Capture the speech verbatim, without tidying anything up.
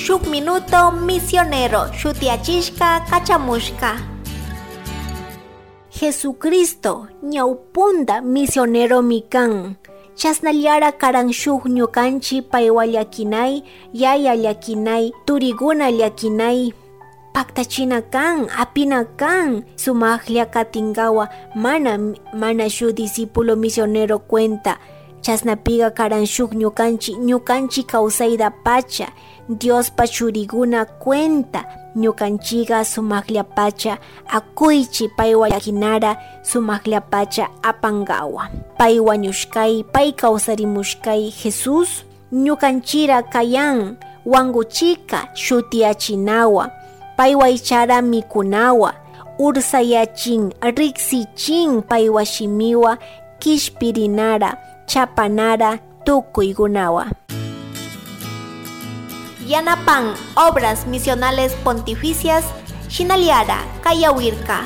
Shuk minuto misionero shutiachishka kachamushka. Jesucristo ñawpunda misioneromi kan. Chasnallara karan shuk ñukanchi paywa llakinay, yaya llakinay, turiguna llakinay. Paktachina kan, apina kan, sumajlla katingawa mana, mana shuk discípulo misionero cuenta. Chasnapiga karan shuk ñukanchi, ñukanchi kawsayda pacha, Diospa churiguna cuenta, ñukanchiga sumajllapacha akuychi paywa llakinara, sumajllapacha apangawa. Pay wañushkay, pay kawsarimushkay Jesús ñukanchira kayan, wanguchika shutiachinawa, paywa ichara mikunawa, ursayachin, riksichin paywa shimiwa, kishpirinara, chapanara, tukuygunawa. Yanapan Obras Misionales Pontificias, shinallara kayawirka.